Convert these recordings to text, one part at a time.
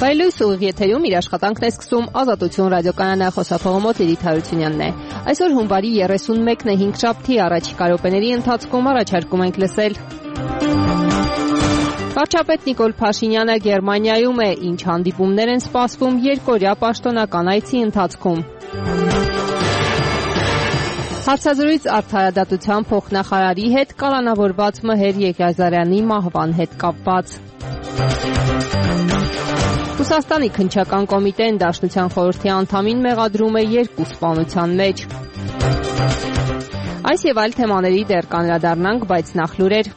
Բայլույս ուղիղ եթերում իր աշխատանքն է սկսում Ազատություն ռադիոկայանը, խոսափողոմոց Էդիթ Հարությունյանն է։ Այսօր հունվարի 31-ն է, հինգշաբթի, առաջիկա րոպեների ընթացքում առաջարկում ենք լսել. Վարչապետ Նիկոլ Փաշինյանը Գերմանիայում է, ինչ հանդիպումներ են սպասվում երկօրյա պաշտոնական այցի ընթացքում։ Հարցազրույց Արդարադատության փոխնախարարի հետ կալանավորված Մհեր Եղիազարյանի մահվան հետ կապված։ Ռուսաստանի քննչական կոմիտեն Դաշնության խորհրդի անդամին մեղադրում է 2 սպանության մեջ։ Այս եւ այլ թեմաների դեռ կանդրադառնանք, բայց նախ լուրեր։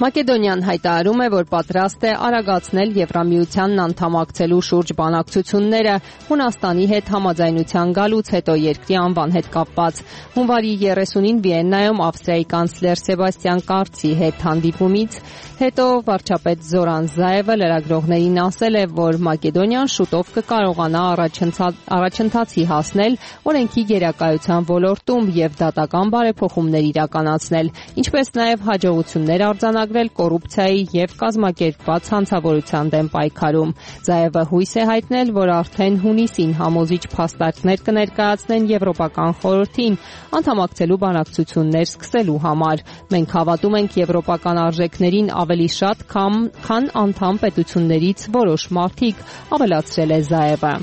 Մակեդոնիան հայտարարում է, որ պատրաստ է արագացնել Եվրամիությանն անդամակցելու շուրջ բանակցությունները Հունաստանի հետ համաձայնության գալուց հետո երկրի անվան հետ կապված։ Հունվարի 30-ին Վիեննայում Ավստրիայի կանցլեր Սեբաստիան Կարցի հետ հանդիպումից հետո վարչապետ Զորան Զաևը լրագրողներին ասել է, որ Մակեդոնիան շուտով կկարողանա առաջընթացի հասնել օրենքի գերակայության ոլորտում եւ դատական բարեփոխումներ իրականացնել, ինչպես նաեւ հաջողություններ արձանագրել կոռուպցիայի եւ կազմակերպված հանցավորության դեմ պայքարում։ Զաևը հույս է հայտնել, որ արդեն հունիսին համոզիչ փաստարկներ կներկայացնեն Եվրոպական խորհրդին անդամակցելու բանակցություններ սկսելու համար։ Մենք հավատում ենք եվրոպական արժեքներին ավելի շատ, քան անդամ պետություններից որոշ մարդիկ, ավելացրել է Զաևը։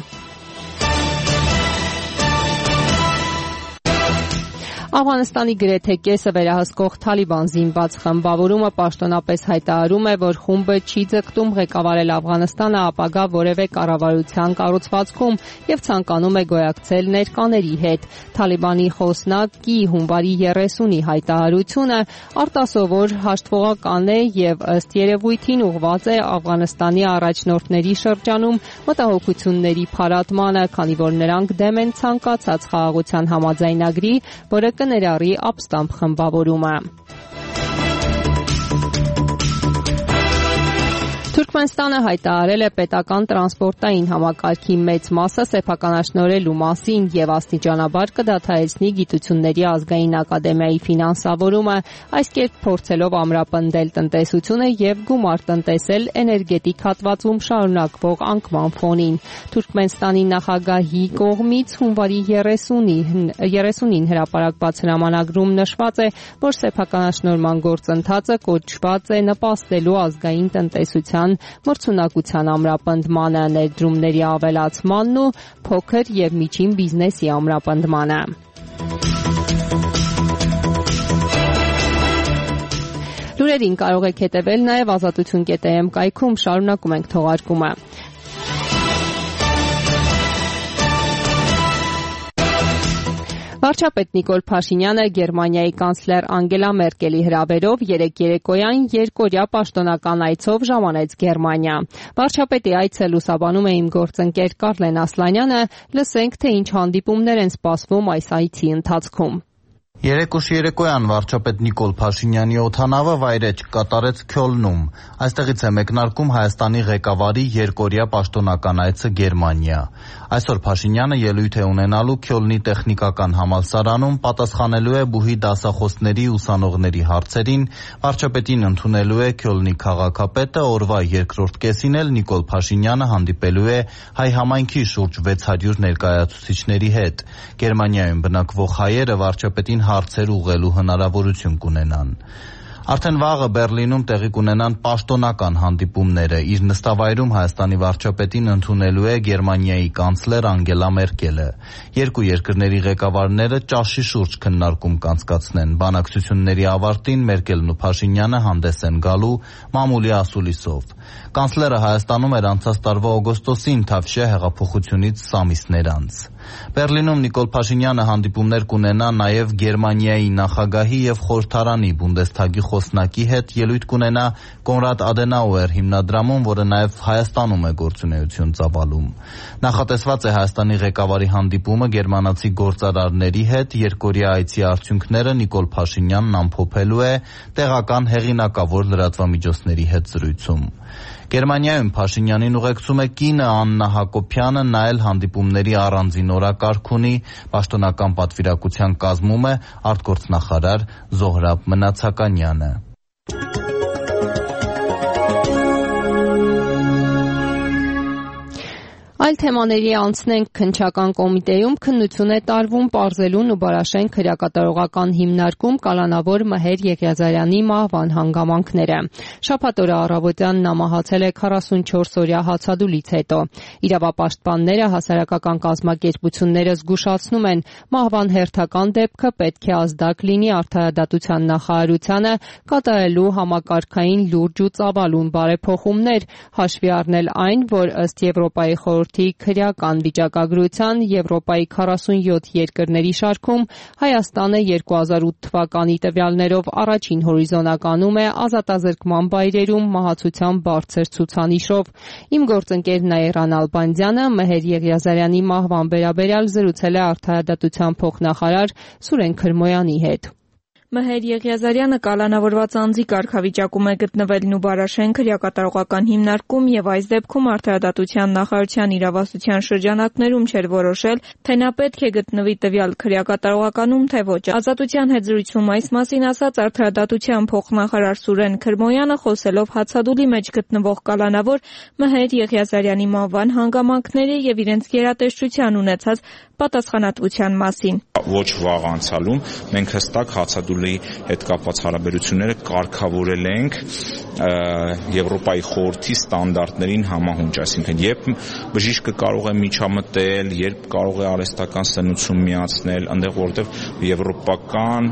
Աֆղանստանի գրեթե կեսը վերահսկող Թալիբան զինված խմբավորումը պաշտոնապես հայտարարում է, որ խումբը չի ձգտում ղեկավարել Աֆղանստանը ապագա որևէ կառավարության կառուցվածքում եւ ցանկանում է գոյակցել ներկաների հետ։ Թալիբանի խոսնակի հունվարի 30-ի հայտարարությունը արտասովոր հաշտվողական է եւ ըստ երևույթին ուղղված է Աֆղանստանի առաջնորդների շրջանում մտահոգությունների փարատմանը, քանի որ նրանք դեմ են ցանկացած խաղաղության համաձայնագրի, որը կներառի ապստամբ խմբավորումը։ Թուրքմենստանը հայտարարել է պետական տրանսպորտային համակարգի մեծ մասը սեփականաշնորհելու մասին եւ աստիճանաբար կդադարեցնի Գիտությունների ազգային ակադեմիայի ֆինանսավորումը, այս կերպ փորձելով ամրապնդել տնտեսությունը եւ գումար տնտեսել էներգետիկ հատվածում շարունակվող անկման ֆոնին։ Թուրքմենստանի նախագահի կողմից հունվարի 30-ին հրապարակված հրամանագրում նշված է, որ սեփականաշնորհման գործընթացը կոչված է նպաստելու ազգային տնտեսության մրցունակության ամրապնդմանը, ներդրումների ավելացմանն ու փոքր եւ միջին բիզնեսի ամրապնդմանը։ Լուրերին կարող եք հետևել նաեւ azatutun.am կայքում, շարունակում ենք թողարկումը։ Վարչապետ Նիկոլ Փաշինյանը Գերմանիայի կանցլեր Անգելա Մերկելի հրավերով երեկոյան երկօրյա պաշտոնական այցով ժամանեց Գերմանիա։ Վարչապետի այցը լուսաբանում է իմ գործընկեր Կարլեն Ասլանյանը, լսենք, թե ինչ հանդիպումներ են սպասվում այս այցի ընթացքում։ Երեկոյան վարչապետ Նիկոլ Փաշինյանի օդանավը վայրէջք կատարեց Քյոլնում։ Այստեղից է մեկնարկում Հայաստանի ղեկավարի երկօրյա պաշտոնական այցը Գերմանիա։ Այսօր Փաշինյանը ելույթ է ունենալու Քյոլնի տեխնիկական համալսարանում, պատասխանելու է բուհի դասախոսների ուսանողների հարցերին, վարչապետին ընդունելու է Քյոլնի քաղաքապետը, օրվա երկրորդ կեսին էլ Նիկոլ Փաշինյանը հանդիպելու է հայ համայնքի շուրջ 600 ներկայացուցիչների հետ։ Գերմանիայում բնակվող հայերը վարչապետին հարցեր ուղղելու հնարավորություն կունենան։ Արդեն վաղը Բեռլինում տեղի կունենան պաշտոնական հանդիպումները։ Իր նստավայրում Հայաստանի վարչապետին ընդունելու է Գերմանիայի կանցլեր Անգելա Մերկելը։ Երկու երկրների ղեկավարները ճաշի շուրջ քննարկում կանցկացնեն։ Բանակցությունների ավարտին Մերկելն ու Փաշինյանը հանդես են գալու մամուլի ասուլիսով։ Կանցլերը Հայաստանում էր անցած տարվա օգոստոսին Թավշյա հեղափոխությունից ամիսներ անց։ Բերլինում Նիկոլ Փաշինյանը հանդիպումներ կունենա նաև Գերմանիայի նախագահի եւ խորհրդարանի Բունդեսթագի խոսնակի հետ, ելույթ կունենա Կոնրադ Ադենաուեր հիմնադրամում, որը նաև Հայաստանում է գործունեություն ծավալում։ Նախատեսված է Հայաստանի ղեկավարի հանդիպումը գերմանացի գործարարների հետ, երկօրյա այցի արդյունքները Նիկոլ Փաշինյանն ամփոփելու է տեղական հեղինակավոր լրատվամիջոցների հետ զրույցում։ Գերմանիայում Փաշինյանին ուղեկցում է կինը Աննա Հակոբյանը, նա էլ հանդիպումների առանձին օրակարգ ունի, պաշտոնական պատվիրակության կազմում է արտգործնախարար Զոհրաբ Մնացականյանը։ Այլ թեմաների անցնենք քննչական կոմիտեում քննություն է տարվում պարզելուն ու Բարաշենք քրեակատարողական հիմնարկում կալանավոր Մհեր Եղիազարյանի մահվան հանգամանքները։ Շաբաթ օրը առավոտյան նա մահացել է 44-օրյա հացադուլից հետո։ Իրավապաշտպանները, հասարակական կազմակերպությունները զգուշացնում են, մահվան հերթական դեպքը պետք է ազդակ լինի Արդարադատության նախարարությանը կատարելու համակարգային լուրջ ու ծավալուն բարեփոխումներ, հաշվի առնել այն, որ ըստ Եվրոպայի խորհրդի քրեական վիճակագրության Եվրոպայի 47 երկրների շարքում Հայաստանը 2008 թվականի տվյալներով առաջին հորիզոնականում է ազատազրկման վայրերում մահացության բարձր ցուցանիշով։ Իմ գործընկեր Նաիրան Ալբանդյանը Մհեր Եղիազարյանի մահվան վերաբերյալ զրուցել է Արդարադատության փոխնախարար Սուրեն Քրմոյանի հետ։ Մհեր Եղիազարյանը կալանավորված անձի կարգավիճակում է գտնվել Նուբարաշեն քրեակատարողական հիմնարկում եւ այս դեպքում Արդարադատության նախարարության իրավասության շրջանակներում չէր որոշել, թե նա պետք է գտնվի տվյալ քրեակատարողականում, թե ոչ։ Ազատության հետ զրույցում այս մասին ասաց Արդարադատության փոխնախարար Սուրեն Քրմոյանը, խոսելով հացադուլի մեջ գտնվող կալանավոր Մհեր Եղիազարյանի մահվան հանգամանքների եւ իրենց գերատեսչության ունեցած պատասխանատվության մասին։ Ոչ վաղ անցյալում մենք հստակ հացադուլի հետ կապված հարաբերությունները կարգավորել ենք Եվրոպայի խորհրդի ստանդարտներին համահունչ, այսինքն երբ բժիշկը կարող է միջամտել, երբ կարող է արհեստական սնուցում միացնել, այնտեղ որտեղ եվրոպական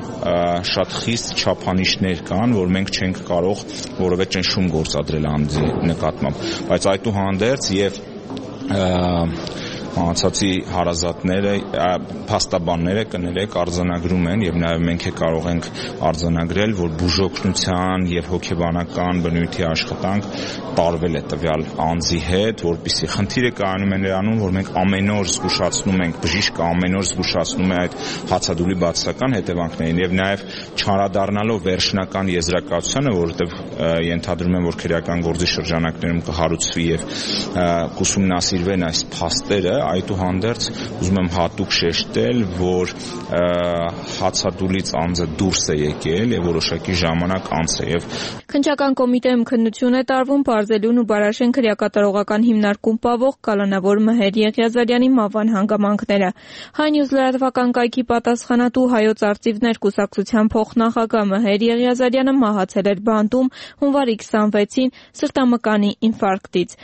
շատ խիստ չափանիշներ կան, որ մենք չենք կարող որևէ ճնշում գործադրել անձի նկատմամբ, բայց այդուհանդերձ եւ մահացածի հարազատները, փաստաբանները կներեք արձանագրում են եւ նաեւ մենք կարող ենք արձանագրել, որ բուժօգնության եւ հոգեբանական բնույթի աշխատանք տարվել է տվյալ անձի հետ, որպեսզի խնդիրը կայանում է նրանում, որ մենք ամեն օր զգուշացնում ենք, բժիշկը ամեն օր զգուշացնում է այդ հացադուլի բացասական հետևանքներին եւ նաեւ չարադառնալով վերջնական եզրակացությանը, որովհետեւ ենթադրում եմ, որ քրեական գործի շրջանակներում կհարուցվի եւ կուսումնասիրվեն այս փաստերը, այդուհանդերձ ուզում եմ հատուկ շեշտել, որ հացադուլից անձը դուրս է եկել եւ որոշակի ժամանակ անց է եւ Քննչական կոմիտեում քննություն է տարվում պարզելուն ու Բարաշեն քրեակատարողական հիմնարկում պավող կալանավոր Մհեր Եղիազարյանի մահվան հանգամանքները։ Հայնյուզ լրատվական կայքի պատասխանատու Հայոց արծիվներ կուսակցության փոխնախագահ Մհեր Եղիազարյանը մահացել էր բանտում հունվարի 26-ին սրտամկանի ինֆարկտից։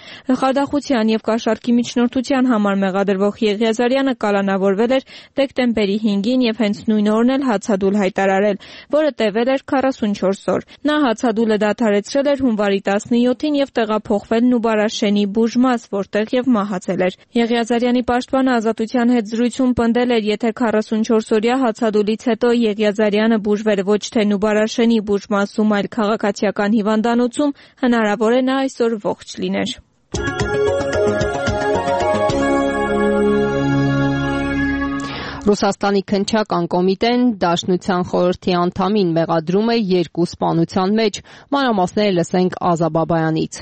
Խարդախության եւ կաշառքի միջնորդության համար մեղադրվող Եղիազարյանը կալանավորվել էր դեկտեմբերի 5-ին եւ հենց նույն օրն էլ հացադուլ հայտարարել, որը տևել էր 44 օր։ Նա հացադուլը դադարեցրել էր հունվարի 17-ին եւ տեղափոխվել Նուբարաշենի բուժմաս, որտեղ եւ մահացել էր։ Եղիազարյանի պաշտպանը Ազատության հետ զրույցում պնդել էր, եթե 44-օրյա հացադուլից հետո Եղիազարյանը բուժվել ոչ թե Նուբարաշենի բուժմասում, այլ քաղաքացիական հիվանդանոցում, հնարավոր է նա այսօր ողջ լիներ։ Ռուսաստանի քննչական կոմիտեն Դաշնության խորհրդի անդամին մեղադրում է 2 սպանության մեջ։ Մանրամասները լսենք Ազա Բաբայանից։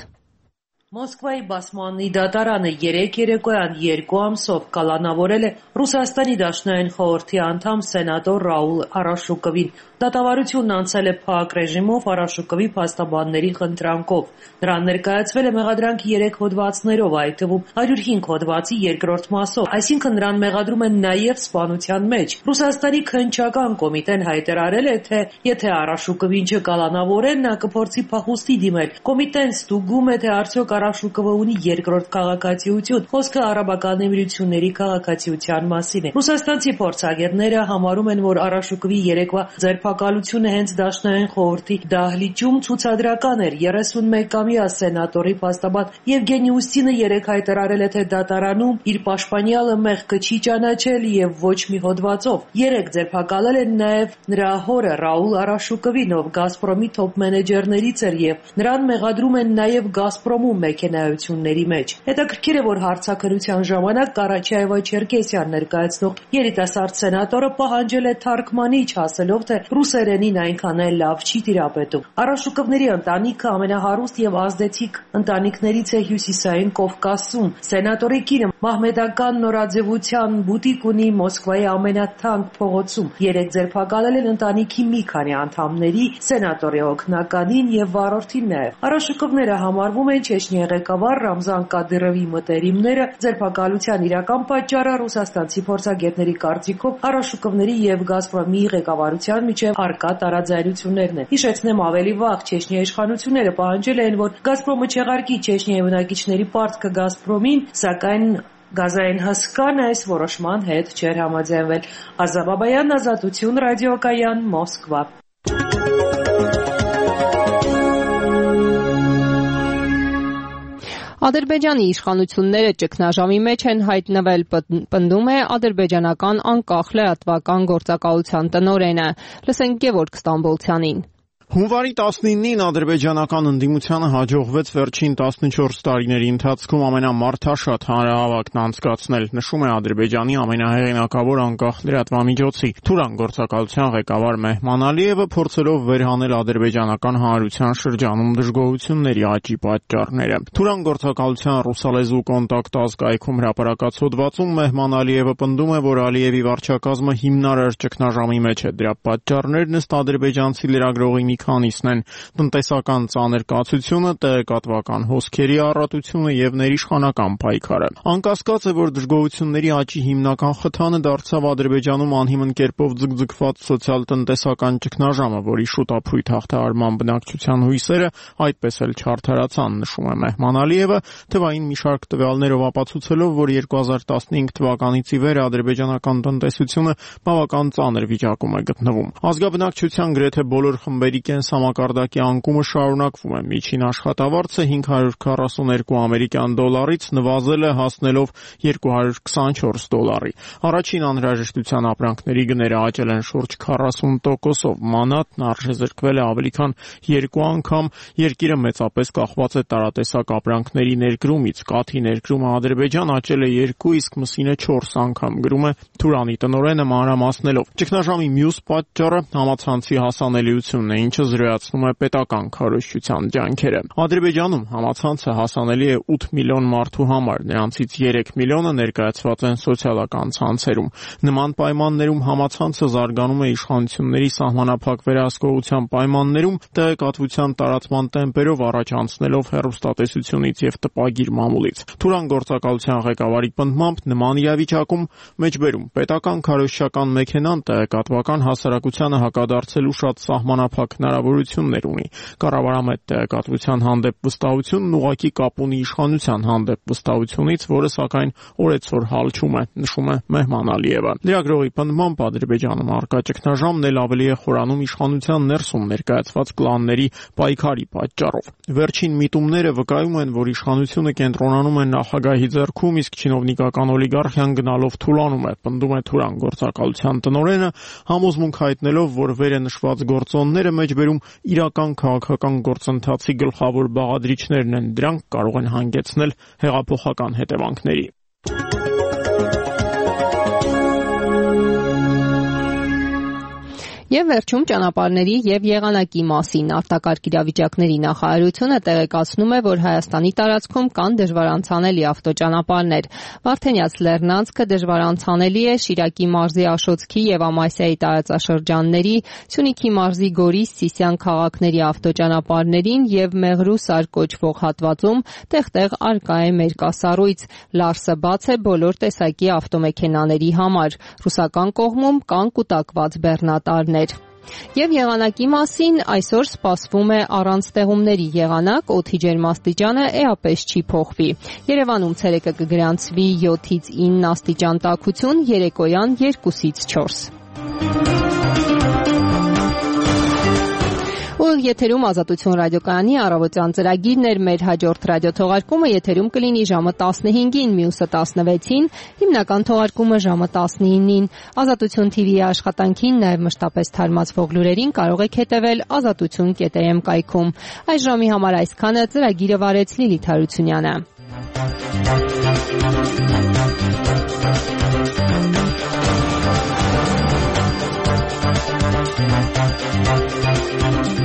Մոսկվայի բասմանի դատարանը 3 երեկոյան 2 ամսով կալանավորել է Ռուսաստանի Դաշնային խորհրդի անդամ սենատոր Ռաուլ Արաշուկովին։ Դատավարությունն անցել է փակ ռեժիմով Արաշուկովի փաստաբանների խնդրանքով։ Նրան ներկայացվել է մեղադրանք 3 հոդվածներով, այդ թվում 105 հոդվածի 2-րդ մասով, այսինքն նրան մեղադրում են նաև սպանության մեջ։ Ռուսաստանի քննչական կոմիտեն հայտարարել է, թե եթե Արաշուկովին չկալանավորեն, նա կփորձի փախուստի դիմել։ Կոմիտեն ստուգում է, թե արդյոք Արաշուկովը ունի երկրորդ քաղաքացիություն։ Խոսքը արաբական էմիրությունների քաղաքացիության մասին է։ Ռուսաստանցի փորձագետները համարում են, որ Արաշուկովի երեկվա ձերբակալությունը հենց Դաշնային խորհրդի դահլիճում ցուցադրական էր։ 31-ամյա սենատորի փաստաբան Եվգենի Ուստինը երեկ հայտարարել է, թե դատարանում իր պաշտպանյալը մեղքը չի ճանաչել եւ ոչ մի հոդվածով։ Երեկ ձերբակալել են նաեւ նրա հորը Ռաուլ Արաշուկովին, ով Գազպրոմի թոփ մենեջերներից էր եւ նրան մեղադրում են նաեւ Գազպրոմում մեքենայությունների մեջ։ Հետաքրքիր է, որ հարցաքննության ժամանակ Կարաչաևա-Չերկեսյան ներկայացնող երիտասարդ սենատորը պահանջել է թարգմանիչ, ասելով, թե ռուսերենին այնքան էլ լավ չի տիրապետում։ Արաշուկովների ընտանիքը ամենահարուստ եւ ազդեցիկ ընտանիքներից է Հյուսիսային Կովկասում։ Սենատորի կինը մահմեդական նորաձևության բուտիկ ունի Մոսկվայի ամենաթանկ փողոցում։ Երեք ձերբակալել են ընտանիքի մի քանի անդամների, սենատորի օգնականին եւ վարորդին նաեւ։ Արաշուկովները համարվում են Չեչնիայի ղեկավար Ռամզան Կադիրովի մտերիմները։ Ձերբակալության իրական պատճառը ռուսաստանցի փորձագետների կարծիքով Արաշուկովների եւ Գազպրոմի ղեկավարության միջև առկա տարաձայնություններն են։ Հիշեցնեմ, ավելի վաղ Չեչնիայի իշխանությունները պահանջել են, որ Գազպրոմը չեղարկի Չեչնիայի բնակիչների պարտքը Գազպրոմին, սակայն Գազային հսկան այս որոշման հետ չէր համաձայնվել։ Ազա Բաբայան, Ազատություն, ռադիոկայան, Մոսկվա։ Ադրբեջանի իշխանությունները ճգնաժամի մեջ են հայտնվել, պնդում է ադրբեջանական անկախ լրատվական գործակալության տնօրենը։ Լսենք Գևորգ Ստամբոլցյանին։ Հունվարի 19-ին ադրբեջանական ընդդիմությանը հաջողվեց վերջին 14 տարիների ընթացքում ամենամարդաշատ հանրահավաքն անցկացնել, նշում է Ադրբեջանի ամենահեղինակավոր անկախ լրատվամիջոցի Թուրան գործակալության ղեկավար Մեհման Ալիևը, փորձելով վերհանել ադրբեջանական հանրության շրջանում դժգոհությունների աճի պատճառները։ Թուրան գործակալության ռուսալեզու կոնտակտ ազգայքում հրապարակած հոդվածում Մեհման Ալիևը պնդում է, որ Ալիևի վարչակազմը հիմնարար ճգնաժամի մեջ է։ Դրա պատճառներն ըստ ադրբեջանցի լրագրողի մի քանիսն են՝ տնտեսական ծանր կացությունը, տեղեկատվական հոսքերի առատությունը եւ ներիշխանական պայքարը։ Անկասկած է, որ դժգոհությունների աճի հիմնական խթանը դարձավ Ադրբեջանում անհիմն կերպով ձգձգված սոցիալ-տնտեսական ճգնաժամը, որի շուտափույթ հաղթահարման բնակչության հույսերը այդպես էլ չարդարացան, նշում է Մեհման Ալիևը, թվային մի շարք տվյալներով ապացուցելով, որ 2015 թվականից ի վեր ադրբեջանական տնտեսությունը բավական ծանր վիճակում է գտնվում։ Ազգաբնակչության գրեթե բոլոր խմբերի կենսամակարդակի անկումը շարունակվում է։ Միջին աշխատավարձը 542 ամերիկյան դոլարից նվազել է, հասնելով 224 դոլարի։ Առաջին անհրաժեշտության ապրանքների գները աճել են շուրջ 40%-ով։ Մանատն արժեզրկվել է ավելի քան 2 անգամ։ Երկիրը մեծապես կախված է տարատեսակ ապրանքների ներկրումից։ Կաթի ներկրումը Ադրբեջան աճել է 2, իսկ մսինը 4 անգամ, գրում է Թուրանի տնօրենը մանրամասնելով։ Ճգնաժամի մյուս պատճառը համացանցի հասանելիությունն է, ինչը զրոյացնում է պետական քարոզչության ջանքերը։ Ադրբեջանում համացանցը հասանելի է 8 միլիոն մարդու համար, նրանցից 3 միլիոնը ներկայացված են սոցիալական ցանցերում։ Նման պայմաններում համացանցը զարգանում է իշխանությունների սահմանափակ վերահսկողության պայմաններում, տեղեկատվության տարածման տեմպերով առաջ անցնելով հեռուստատեսությունից եւ տպագիր մամուլից։ Թուրան գործակալության ղեկավարի պնդմամբ նման իրավիճակում մեջբերում պետական քարոզչական մեքենան տեղեկատվական հասարակությանը հակադարձելու շատ սահմանափակ հնարավորություններ ունի։ Կառավարամետ տեղեկատվության հանդեպ վստահությունն ուղղակի կապ ունի իշխանության հանդեպ վստահությունից, որը սակայն օրեցօր հալչում է, նշում է Մեհման Ալիևը։ Լրագրողի պնդմամբ Ադրբեջանում առկա ճգնաժամն էլ ավելի է խորանում իշխանության ներսում ներկայացված կլանների պայքարի պատճառով։ Վերջին միտումները վկայում են, որ իշխանությունը կենտրոնանում է նախագահի ձեռքում, իսկ չինովնիկական օլիգարխիան գնալով թուլանում է, պնդում է Թուրան գործակալության տնօրենը, համոզմունք հայտնելով, որ վերը նշված գործոնները մեջբերում իրական քաղաքական գործընթացի գլխավոր բաղադրիչներն են, դրանք կարող են հանգեցնել հեղափոխական հետևանքների։ Եվ վերջում ճանապարհների եւ եղանակի մասին արտակարգ իրավիճակների նախարարությունը տեղեկացնում է, որ Հայաստանի տարածքում կան դժվարանցանելի ավտոճանապարհներ։ Վարդենյաց լեռնանցքը դժվարանցանելի է Շիրակի մարզի Աշոտսքի եւ Ամասիայի տարածաշրջանների, Սյունիքի մարզի Գորիս, Սիսիան քաղաքների ավտոճանապարհներին եւ Մեղրուսար կոչվող հատվածում տեղ-տեղ արկա է մերկասառույց։ Լարսը բաց է բոլոր տեսակի ավտոմեքենաների համար։ Ռուսական կողմում կան կուտակված բեռնատարներ։ Եվ եղանակի մասին այսօր սպասվում է առանց ստեղումների եղանակ, օդի ջերմաստիճանը էապես չի փոխվի։ Երևանում ցերեկը կգրանցվի 7-ից 9 աստիճան տաքություն, երեկոյան 2-ից 4։ Ուղիղ եթերում Ազատություն ռադիոկայանի առավոտյան ծրագիրն էր, մեր հաջորդ ռադիոթողարկումը եթերում կլինի ժամը 15-ին, մյուսը 16-ին, հիմնական թողարկումը ժամը 19-ին։ Ազատություն TV-ի աշխատանքին, նաև մշտապես թարմացվող լուրերին կարող եք հետևել azatutun.am կայքում։ Այս ժամի համար այսքանը, ծրագիրը վարեց Լիլիթ Հարությունյանը։ Thank you.